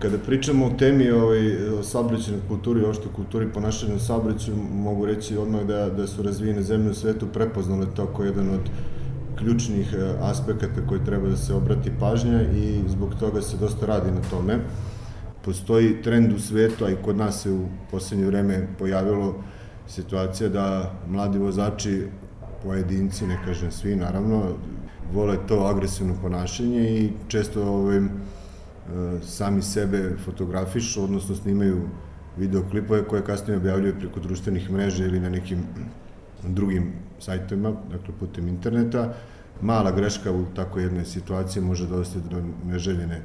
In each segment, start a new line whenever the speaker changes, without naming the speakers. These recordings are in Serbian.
Kada pričamo o temi o saobraćajnoj kulturi, uopšte kulturi ponašanja u saobraćaju, mogu reći odmah da su razvijene zemlje u svetu prepoznale to kao jedan od ključnih aspekata koji treba da se obrati pažnja i zbog toga se dosta radi na tome. Postoji trend u svetu, a i kod nas se u poslednje vreme pojavilo situacija da mladi vozači, pojedinci, ne kažem svi naravno, vole to agresivno ponašanje i često sami sebe fotografišu, odnosno snimaju videoklipove koje kasnije objavljaju preko društvenih mreža ili na nekim drugim sajtovima, dakle putem interneta. Mala greška u tako jednoj situaciji može dovesti do neželjene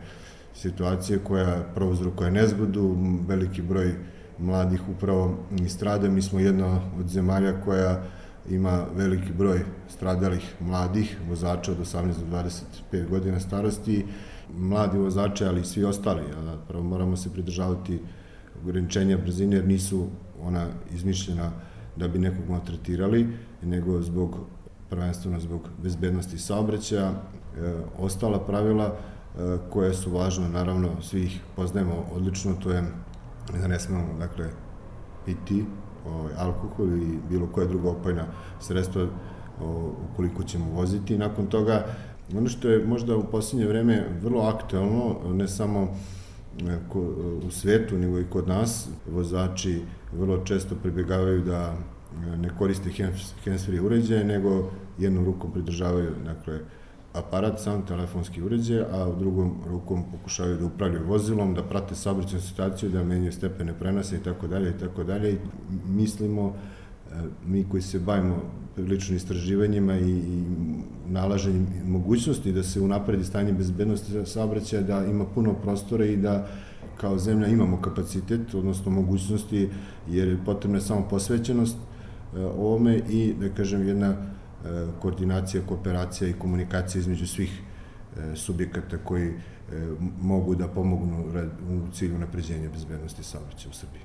situacije koja prouzrokuje nezgodu, veliki broj mladih upravo i strada. Mi smo jedna od zemalja koja ima veliki broj stradalih mladih vozača od 18 do 25 godina starosti. Mladi vozači, ali i svi ostali, prvo moramo se pridržavati ograničenja brzine jer nisu ona izmišljena da bi nekog maltretirali, nego prvenstveno zbog bezbednosti saobraćaja. Ostala pravila koje su važne, naravno svi ih poznajemo odlično, to je da ne smemo, dakle, piti alkohol ili bilo koja druga opojna sredstva ukoliko ćemo voziti. Nakon toga, ono što je možda u poslednje vreme vrlo aktuelno, ne samo u svetu, nego i kod nas, vozači vrlo često pribegavaju da ne koriste hands-free uređaje, nego jednom rukom pridržavaju, dakle, aparat, sam telefonski uređaj, a drugom rukom pokušavaju da upravljaju vozilom, da prate saobraćajnu situaciju, da menjaju stepene prenosa i tako dalje i tako dalje. Mislimo, mi koji se bavimo prilično istraživanjima i nalaženjem mogućnosti da se unapredi stanje bezbednosti saobraćaja, da ima puno prostora i da kao zemlja imamo kapacitet, odnosno mogućnosti, jer je potrebna samo posvećenost ovome i, da kažem, jedna koordinacija, kooperacija i komunikacija između svih subjekata koji mogu da pomognu u cilju unapređenja bezbednosti saobraćaja u Srbiji.